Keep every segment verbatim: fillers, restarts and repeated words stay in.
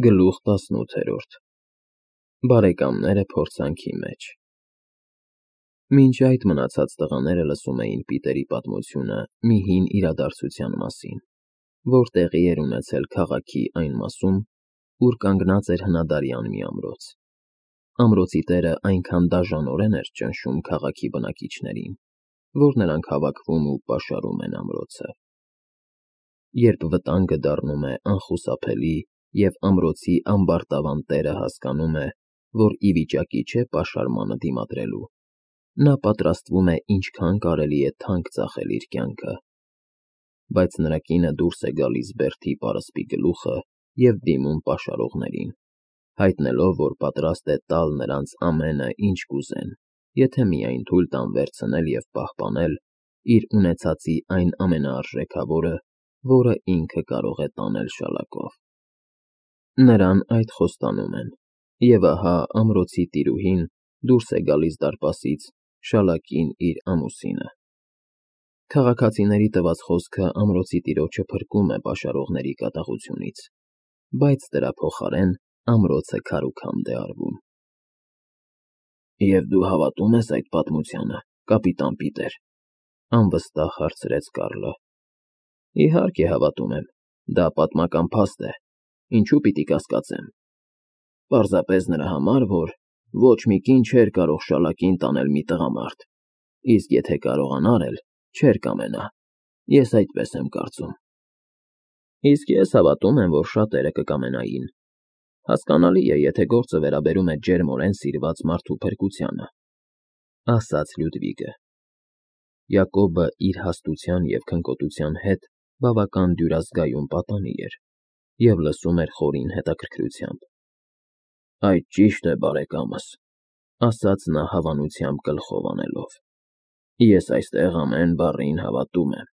Գլուխ տասնութերորդ Բարեկամները փորձանքի մեջ Մինչ այդ մնացած տղաները լսում էին Պիտերի պատմությունը մի հին իրադարձության մասին, որ տեղի էր ունեցել քաղաքի այն մասում, ուր կանգնած էր հնադարյան մի ամրոց։ Ամրոցի տերը այնքան դաժանորեն էր ճնշում քաղաքի բնակիչներին, որ նրանք հավաքվում ու պաշարում են ամրոցը։ Երբ վտանգը դառնում է անխուսափելի և ամրոցի ամբարտավան տերը հասկանում է, որ ի վիճակի չէ պաշարմանը դիմադրելու, նա պատրաստվում է ինչքան կարելի է թանկ ծախել իր կյանքը։ Բայց նրա կինը դուրս է գալիս բերդի պարսպի գլուխը և դիմում պաշարողներին, հայտնելով, որ պատրաստ է տալ նրանց ամենը, ինչ կուզեն, եթե միայն թույլ տան վերցնել և պահպանել իր ունեցածի այն ամենաարժեքավորը, որը ինքը կարող է տանել շալակով։ Նրան այդ խոստանում են, և ահա ամրոցի տիրուհին դուրս է գալիս դարպասից շալակին իր ամուսինը։ Քաղաքացիների տված խոսքը ամրոցի տիրոջը փրկում է պաշարողների կատաղությունից, բայց դրա փոխարեն ամրոցը քարուքանդ է արվում։ Եվ դու հավատո՞ւմ ես այդ պատմությանը, կապիտան Պիտեր, անվստահ հարցրեց Կարլը։ Իհարկե հավատում եմ, դա պատմական փաստ է, ինչու պիտի կասկածեմ։ Պարզապես նրա համար, որ ոչ մի կին չէր կարող շալակին տանել մի տղամարդ, իսկ եթե կարողանար էլ, չէր կամենա, ես այդպես եմ կարծում։ Իսկ ես հավատում եմ, որ շատերը կկամենային։ Հասկանալի է, եթե գործը վերաբերում է ջերմորեն սիրված մարդու փրկությանը, ասաց Լյուդվիգը։ Յակոբը իր հաստության և քնկոտության հետ բավական դյուրազգայուն պատանի էր և լսում էր խորին հետաքրքրությամբ։ Այդ ճիշտ է, բարեկամս, ասաց նա հավանությամբ գլխով անելով։ Ես այստեղ ամեն բառին հավատում եմ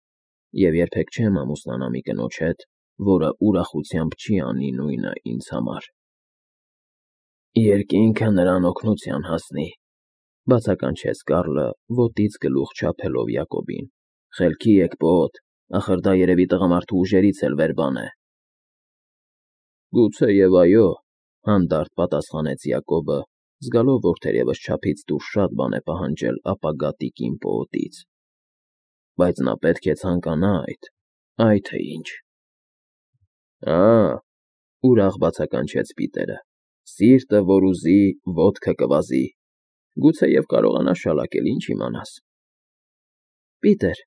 և երբեք չեմ ամուսնանա մի կնոջ հետ, որը ուրախությամբ չի անի նույնը ինձ համար։ Երկինքը նրան օգնության հասնի, բացականչեց Կարլը, ոտից գլուխ չափելով Յակոբին։ Խելքի եք, պոոտ, ախր դա երևի տղամարդու ուժերից էլ վեր բան է։ Գուցեև այո, հանդարտ պատասխանեց Յակոբը, զգալով, որ թերևս չափից դուրս շատ բան է պահանջել ապագա տիկին պոոտից։ Բայց նա պետք է ցանկանա այդ, այ թե ինչ։ Ա՜, ուրախ բացականչեց Պիտերը, սիրտը որ ուզի, ոտքը կվազի, գուցեև կարողանա շալակել, ինչ իմանաս։ Պիտեր,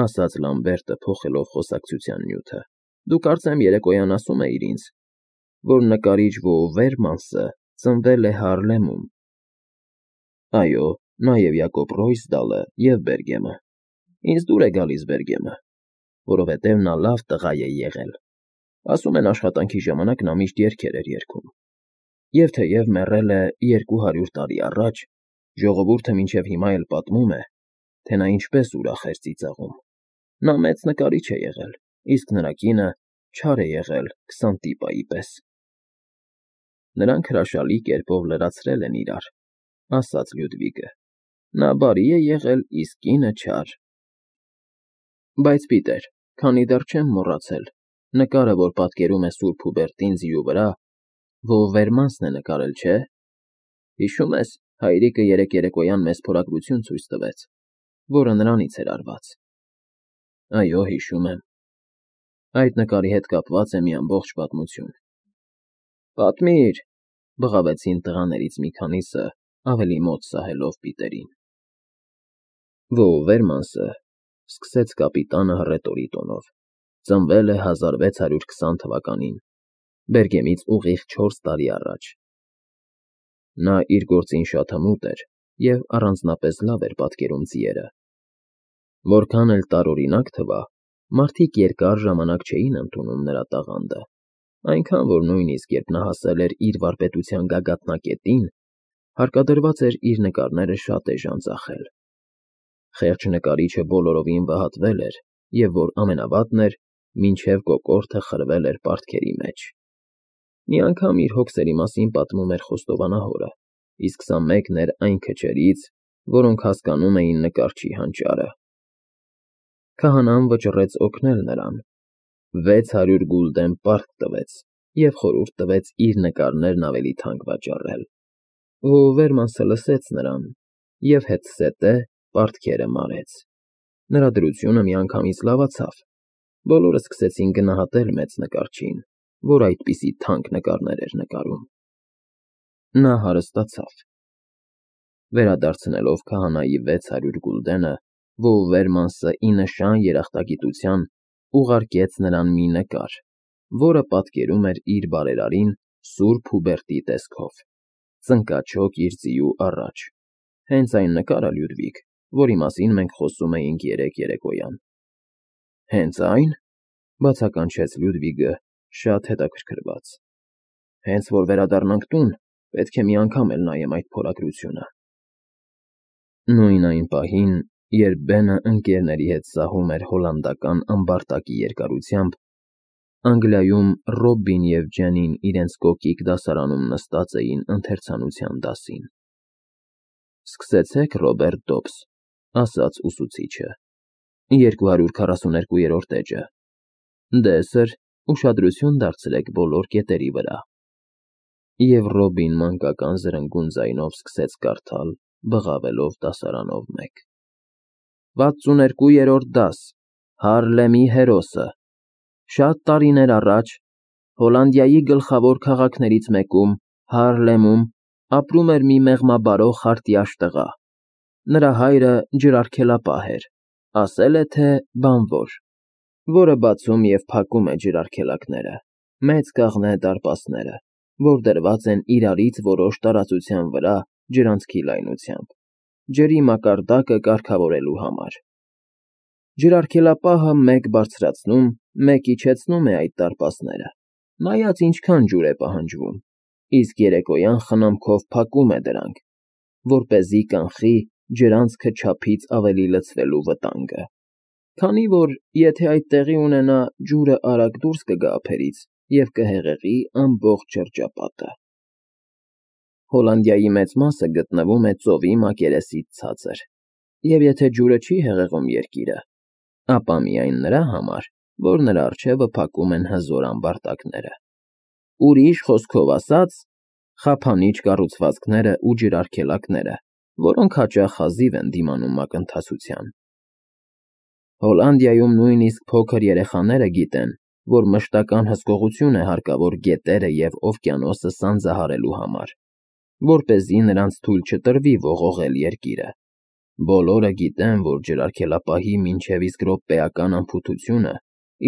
ասաց Լամբերտը փոխելով խոսակցության նյութը, դու կարծեմ երեկոյան ասում էիր ինձ, որ նկարիչ Վոուվերմանսը ծնվել է Հարլեմում։ Այո, նաև Յակոբ Ռոյսդալը և Բերգեմը։ Ինձ դուր է գալիս Բերգեմը, որովհետև նա լավ տղա է եղել։ Ասում են աշխատանքի ժամանակ նա միշտ երգեր էր երգում։ Եվ թեև մեռել է երկու հարյուր տարի առաջ, ժողովուրդը մինչև հիմա էլ պատմում է, թե նա ինչպես ուրախ էր ծիծաղում։ Նա մեծ նկարիչ է եղել, իսկ նրա կինը չար է եղել Քսանտիպայի պես։ Նրանք հրաշալի կերպով լրացրել են իրար, ասաց Լյուդվիգը։ Նա բարի է եղել, իսկ կինը չար։ Բայց Պիտեր, քանի դեռ չեմ մոռացել, նկարը, որ պատկերում է Սուրբ Հուբերտին ձիու վրա, Վոուվերմանսն է նկարել, չէ՞։ Հիշում ես, հայրիկը երեկ երեկոյան մեզ փորագրություն ցույց տվեց, որը նրանից էր արված։ Այո, հիշում եմ։ Այդ նկարի հետ կապված է մի ամբողջ պատմություն։ Պատմիր, բղավեցին տղաներից մի քանիսը, ավելի մոտ սահելով Պիտերին։ Վոուվերմանսը, սկսեց կապիտանը հռետորի տոնով, ծնվել է հազար վեց հարյուր քսան թվականին, Բերգեմից ուղիղ չորս տարի առաջ։ Նա իր գործին շատ հմուտ էր և առանձնապես լավ էր պատկերում ձիերը։ Որքան էլ տարօրինակ թվա, մարդիկ երկար ժամանակ չէին ընդունում նրա տաղանդը, այնքան, որ նույնիսկ երբ նա հասել էր իր վարպետության գագաթնակետին, հարկադրված էր իր նկարները շատ էժան ծախել։ Խեղճ նկարիչը բոլորովին վհատվել էր և, որ ամենավատն էր, մինչև կոկորդը խրվել էր պարտքերի մեջ։ Մի անգամ իր հոգսերի մասին պատմում էր խոստովանահորը, իսկ սա մեկն էր այն քչերից, որոնք հասկանում էին նկարչի հանճարը։ Քահանան վճռեց օգնել նրան, վեց հարյուր գուլդեն պարտք տվեց և խորհուրդ տվեց իր նկարներն ավելի թանկ վաճառել։ Վոուվերմանսը լսեց նրան և հետզհետե պարտքերը մարեց։ Նրա դրությունը միանգամից լավացավ։ Բոլորը սկսեցին գնահատել մեծ նկարչին, որ այդպիսի թանկ նկարներ էր նկարում։ Նա հարստացավ։ Վերադարձնելով քահանայի վեց հարյուր գուլդենը, Վոուվերմանսը ի նշան երախտագիտության ուղարկեց նրան մի նկար, որը պատկերում էր իր բարերարին Սուրբ Հուբերտի տեսքով, ծնկաչոք իր ձիու առաջ, հենց այն նկարը, Լյուդվիգ, որի մասին մենք խոսում էինք երեկ երեկոյան։ ֊ Հենց ա՞յն,֊ բացականչեց Լյուդվիգը, շատ հետաքրքրված։ Հենց որ վերադառնանք տուն, պետք է մի անգամ էլ նայեմ այդ փորագրությունը։ Նույն այն պահին, երբ Բենը ընկերների հետ սահում էր հոլանդական ամբարտակի երկարությամբ, Անգլիայում Ռոբբին և Ջենին իրենց կոկիկ դասարանում նստած էին ընթերցանության դասին։ ֊ Սկսեցեք, Ռոբերտ Դոբս,֊ ասաց ուսուցիչը,֊ երկու հարյուր քառասուներկուերորդ էջը։ Դե, սըր, ուշադրություն դարձրեք բոլոր կետերի վրա։ Եվ Ռոբին մանկական զրնգուն ձայնով սկսեց կարդալ, բղավելով դասարանով մեկ. Վաթսուներկուերորդ դաս, Հարլեմի հերոսը։ Շատ տարիներ առաջ Հոլանդիայի գլխավոր քաղաքներից մեկում, Հարլեմում, ապրում էր մի մեղմաբարո խարտյաշ տղա։ Նրա հայրը ջրարգելապահ էր, ասել է թե բանվոր, որը բացում և փակում է ջրարգելակները, մեծ կաղնե դարպասները, որ դրված են իրարից որոշ տարածության վրա ջրանցքի լայնությամբ, ջրի մակարդակը կարգավորելու համար։ Ջրարգելապահը մեկ բարձրացնում, մեկ իջեցնում է այդ դարպասները, նայած ինչքան ջուր է պահանջվում, իսկ երեկոյան խնամքով փակում է դրանք, որպեսզի կանխի ջրանցքը չափից ավելի լցվելու վտանգը, քանի որ եթե այդ տեղի ունենա, ջուրը արագ դուրս կգա ափերից և կհեղեղի ամբողջ շրջապատը։ Հոլանդիայի մեծ մասը գտնվում է ծովի մակերեսից ցածր, և եթե ջուրը չի հեղեղում երկիրը, ապա միայն նրա համար, որ նրա առջևը փակում են հզոր ամբարտակները։ Ուրիշ խոսքով ասած, խափանիչ կառուցվածքները ու ջրարգելակները, որոնք հաճախ հազիվ են դիմանում մակընթացության։ Հոլանդիայում նույնիսկ փոքր երեխաները գիտեն, որ մշտական հսկողություն է հարկավոր գետերը և օվկիանոսը սանձահարելու համար, որպեսզի նրանց թույլ չտրվի ողողել երկիրը։ Բոլորը գիտեն, որ ջրարգելապահի մինչև իսկ րոպեական անփութությունը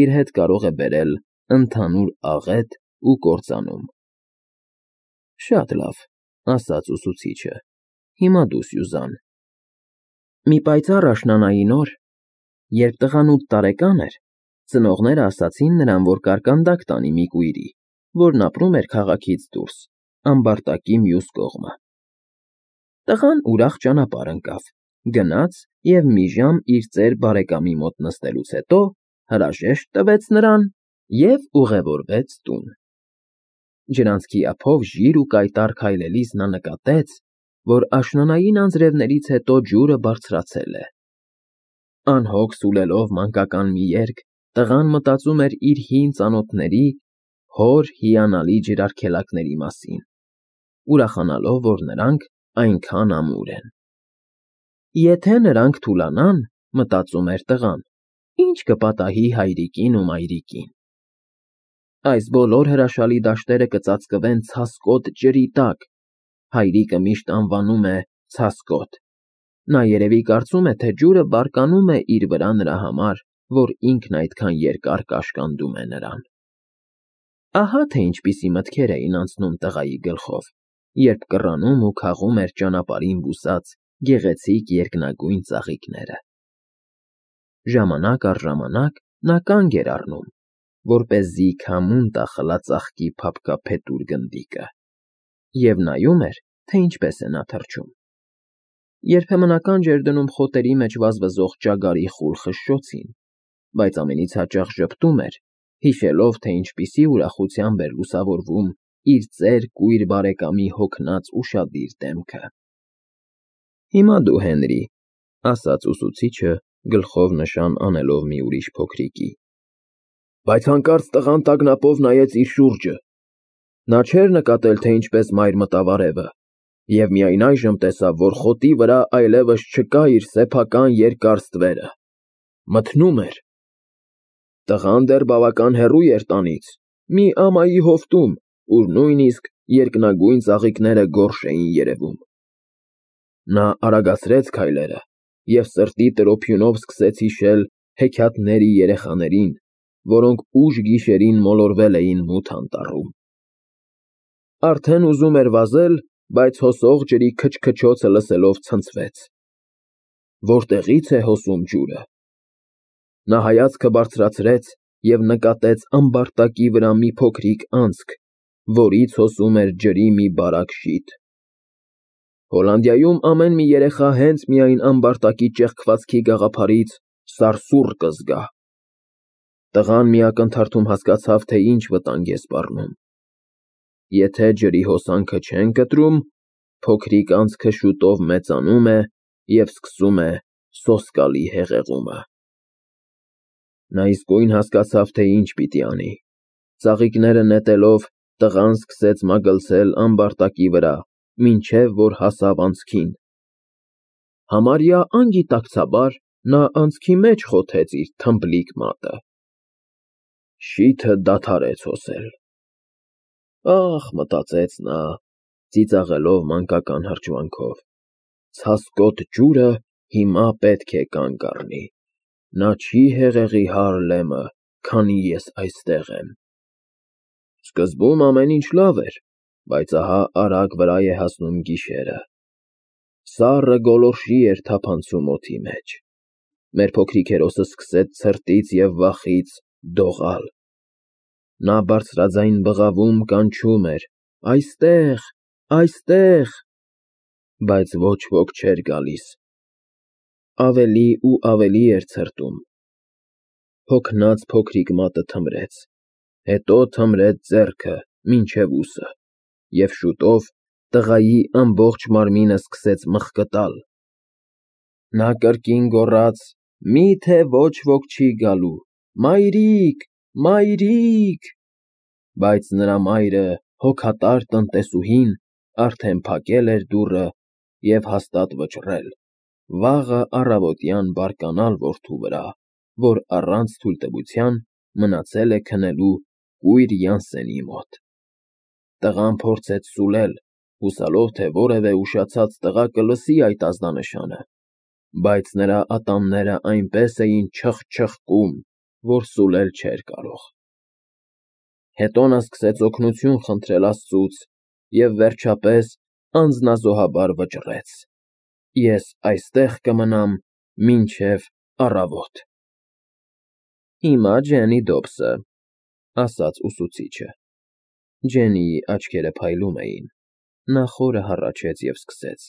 իր հետ կարող է բերել ընդհանուր աղետ ու կործանում։ ֊ Շատ լավ,֊ ասաց ուսուցիչը,֊ հիմա դու, Սյուզան։ Մի պայծառ աշնանային օր, երբ տղան ութ տարեկան էր, ծնողները ասացին նրան, որ կարկանդակ տանի մի կույրի, որն ապրում էր քաղաքից դուրս, ամբարտակի մյուս կողմը։ Տղան ուրախ ճանապարհ ընկավ, գնաց և մի ժամ իր ծեր բարեկամի մոտ նստելուց հետո հրաժեշտ տվեց նրան և ուղևորվեց տուն։ Ջրանցքի ափով ժիր ու կայտառ քայլելիս նա նկատեց, որ աշնանային անձրևներից հետո ջուրը բարձրացել է։ Անհոգ սուլելով մանկական մի երգ, տղան մտածում էր իր հին ծանոթների՝ հոր հիանալի ջրարգելակների մասին, ուրախանալով, որ նրանք այնքան ամուր են։ Եթե նրանք թուլանան, մտածում էր տղան, ի՞նչ կպատահի հայրիկին ու մայրիկին։ Այս բոլոր հրաշալի դաշտերը կծածկվեն ցասկոտ ջրի տակ, հայրիկը միշտ անվանում է ցասկոտ։ Նա երևի կարծում է, թե ջուրը բարկանում է իր վրա նրա համար, որ ինքն այդքան երկար կաշկանդում է նրան։ Ահա թե ինչպիսի մտքեր էին անցնում տղայի գլխով, երբ կռանում ու քաղում էր ճանապարհին բուսած գեղեցիկ երկնագույն ծաղիկները։ Ժամանակ առ ժամանակ նա կանգ էր առնում, որպեսզի քամուն տա խլածաղկի փափկափետուր գնդիկը, և նայում էր, թե ինչպես է նա թռչում։ Երբեմն ականջ էր դնում խոտերի մեջ վազվզող ճագարի խուլ խշշոցին, բայց ամենից հաճախ ժպտում էր, հիշելով, թե ինչպիսի ուրախությամբ էր լուսավորվում իր ծեր կույր բարեկամի հոգնած ուշադիր դեմքը։ ֊ Հիմա դու, Հենրի,֊ ասաց ուսուցիչը, գլխով նշան անելով մի ուրիշ փոքրիկի։ Բայց հանկարծ տղան տագնապով նայեց իր շուրջը Նա չէր նկատել, թե ինչպես մայր մտավ արևը, և միայն այժմ տեսավ, որ խոտի վրա այլևս չկա իր սեփական երկար ստվերը, մթնում էր։ Տղան դեռ բավական հեռու էր տանից, մի ամայի հովտում, ուր նույնիսկ երկնագույն ծաղիկները գորշ էին երևում։ Նա արագացրեց քայլերը և սրտի տրոփյունով սկսեց հիշել հեքիաթների երեխաներին, որոնք ուշ գիշերին մոլորվել էին մութ անտառում։ Արդեն ուզում էր վազել, բայց հոսող ջրի քչքչոցը լսելով ցնցվեց։ Որտեղի՞ց է հոսում ջուրը։ Նա հայացքը բարձրացրեց և նկատեց ամբարտակի վրա մի փոքրիկ անցք, որից հոսում էր ջրի մի բարակ շիթ։ Հոլանդիայում ամեն մի երեխա հենց միայն ամբարտակի ճեղքվածքի գաղափարից սարսուռ կզգա։ Տղան մի ակնթարթում հասկացավ, թե ինչ վտանգ է սպառնում։ Եթե ջրի հոսանքը չեն կտրում, փոքրիկ անցքը շուտով մեծանում է և սկսում է սոսկալի հեղեղումը։ Նա իսկույն հասկացավ, թե ինչ պիտի անի։ Ծաղիկները նետելով, տղան սկսեց մագլցել ամբարտակի վրա, մինչև որ հասավ անցքին։ Համարյա անգիտակցաբար նա անցքի մեջ խոթեց իր թմբլիկ մատը։ Շիթը դադարեց հոսել։ Ահ, մտածեց նա, ծիծաղելով մանկական հրճվանքով, ցասկոտ ջուրը հիմա պետք է կանգ առնի։ Նա չի հեղեղի Հարլեմը, քանի ես այստեղ եմ։ Սկզբում ամեն ինչ լավ էր, բայց ահա արագ վրա է հասնում գիշերը։ Սառը գոլորշի էր թափանցում օդի մեջ։ Մեր փոքրիկ հերոսը սկսեց ցրտից և վախից դողալ։ Նա բարձրաձայն բղավում կանչում էր. «Այստեղ, այստեղ», բայց ոչ ոք չէր գալիս։ Ավելի ու ավելի էր ցրտում։ Հոգնած փոքրիկ մատը թմրեց, հետո թմրեց ձեռքը մինչև ուսը, և շուտով տղայի ամբողջ մարմինը սկսեց մխկտալ։ Նա կրկին գոռաց. «Մի՞թե ոչ ոք չի գալու, մայրիկ, մայրիկ», բայց նրա մայրը, հոգատար տնտեսուհին, արդեն փակել էր դուռը և հաստատ վճռել, վաղը առավոտյան բարկանալ որդու վրա, որ առանց թույլտվության մնացել է քնելու կույր Յանսենի մոտ։ Տղան փորձեց սուլել, հուսալով, թե որևէ ուշացած տղա կլսի այդ ազդանշանը, բայց նրա ատամները այնպես էին չխչխկում, որ սուլել չէր կարող։ Հետո նա սկսեց օգնություն խնդրել Աստծուց և վերջապես անձնազոհաբար վճռեց. «Ես այստեղ կմնամ մինչև առավոտ»։ Հիմա Ջեննի Դոբսը, ասաց ուսուցիչը։ Ջեննիի աչքերը փայլում էին։ Նա խորը հառաչեց և սկսեց.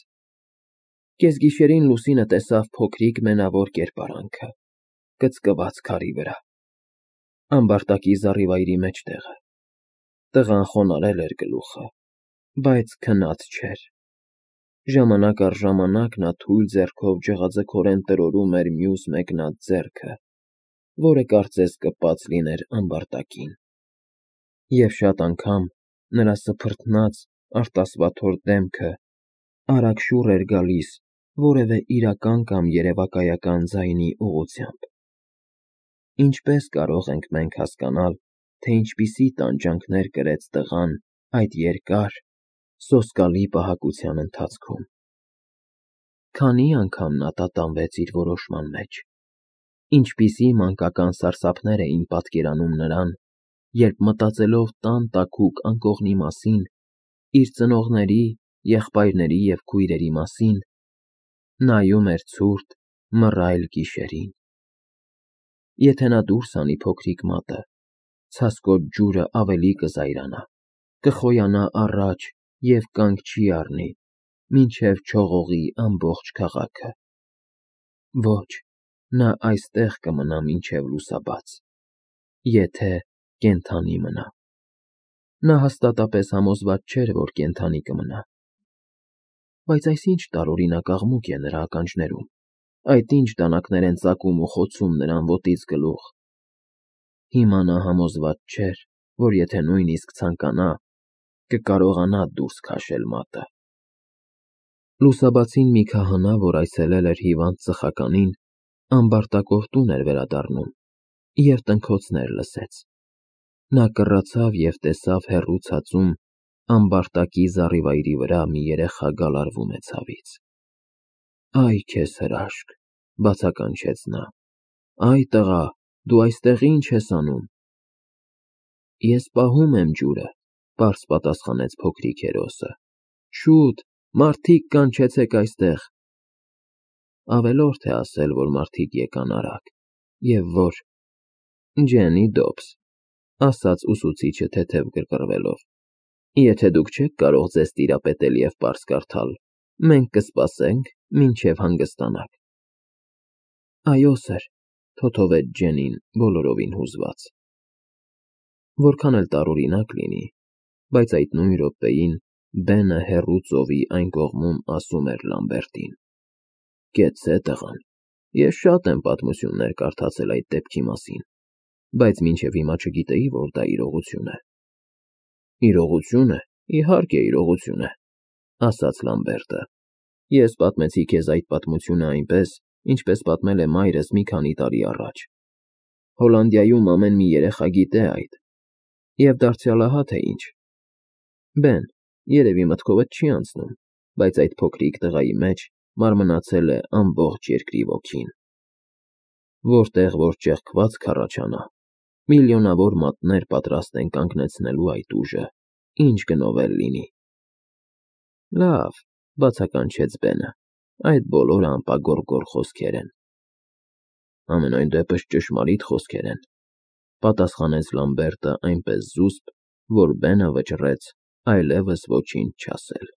Կեսգիշերին լուսինը տեսավ փոքրիկ մենավոր կերպարանքը, կծկված քարի վրա, ամբարտակի զառիվայրի մեջտեղը։ Տղան խոնարհել էր գլուխը, բայց քնած չէր։ Ժամանակ առ ժամանակ նա թույլ ձեռքով ջղաձգորեն տրորում էր մյուս մեկնած ձեռքը, որը կարծես կպած լիներ ամբարտակին։ Եվ շատ անգամ նրա սփռթնած, արտասվաթոր դեմքը արագ շուռ էր գալիս որևէ իրական կամ երևակայական ձայնի ուղղությամբ։ Ինչպե՞ս կարող ենք մենք հասկանալ, թե ինչպիսի տանջանքներ կրեց տղան այդ երկար, սոսկալի պահակության ընթացքում։ Քանի՞ անգամ նա տատանվեց իր որոշման մեջ։ Ինչպիսի մանկական սարսափներ էին պատկերանում նրան, երբ մտածելով տան տաքուկ անկողնի մասին, իր ծնողների, եղբայրների և քույրերի մասին, նայում էր ցուրտ, մռայլ գիշերին։ Եթե նա դուրս հանի փոքրիկ մատը, ցասկոտ ջուրը ավելի կզայրանա, կխոյանա առաջ և կանգ չի առնի, մինչև չողողի ամբողջ քաղաքը։ Ոչ, նա այստեղ կմնա մինչև լուսաբաց, եթե կենդանի մնա։ Նա հաստատապես համոզված չէր, որ կենդանի կմնա։ Բայց այս ինչ տարօրինակ աղմուկ է նրա ականջներում, այդ ինչ դանակներ են ծակում ու խոցում նրան ոտից գլուխ։ Հիմա նա համոզված չէր, որ եթե նույնիսկ ցանկանա, կկարողանա դուրս քաշել մատը։ Լուսաբացին մի քահանա, որ այցելել էր հիվանդ ծխականին, ամբարտակով տուն էր վերադառնում և տնքոցներ լսեց։ Նա կռացավ և տեսավ հեռու ցածում ամբարտակի զառիվայրի վրա մի երեխա գալարվում է ցավից։ «Այ քեզ հրաշք», բացականչեց նա, «Այ տղա, դու այստեղ ի՞նչ ես անում»։ «Ես պահում եմ ջուրը», պարզ պատասխանեց փոքրիկ հերոսը։ «Շուտ, մարդիկ, կանչեցեք այստեղ»։ Ավելորդ է ասել, որ մարդիկ եկան արագ, և որ… Ջեննի Դոբս, ասաց ուսուցիչը թեթև կռկռվելով, եթե դուք չեք կարող ձեզ տիրապետել և պարզ կարդալ, մենք կսպասենք, մինչև հանգստանաք։ Այո, սըր, թոթովեց Ջեննին բոլորովին հուզված։ Որքան էլ տարօրինակ լինի, բայց այդ նույն րոպեին Բենը հեռու ծովի այն կողմում ասում էր Լամբերտին. «Կեցցե տղան, ես շատ եմ պատմություններ կարդացել այդ դեպքի մասին, բայց մինչև հիմա չգիտեի, որ դա իրողություն է»։ «Իրողություն է, իհարկե իրողություն է», ասաց Լամբերտը։ «Ես պատմեցի քեզ այդ պատմությունը այնպես, ինչպես պատմել է մայրս մի քանի տարի առաջ։ Հոլանդիայում ամեն մի երեխա գիտե այդ։ Եվ դարձյալ ահա թե ինչ. Բեն, երևի մտքովդ չի անցնում, բայց այդ փոքրիկ տղայի մեջ մարմնացել է ամբողջ երկրի ոգին։ Որտեղ որ ճեղքվածք կառաջանա, միլիոնավոր մատներ պատրաստ են կանգնեցնելու այդ ուժը, ինչ գնով էլ լինի»։ «Լավ», բացականչեց Բենը, «այդ բոլորը անպագորգոր խոսքեր են»։ «Համենայն դեպս ճշմարիտ խոսքեր են», պատասխանեց Լամբերտը այնպես զուսպ, որ Բենը վճռեց այլևս ոչինչ չասել։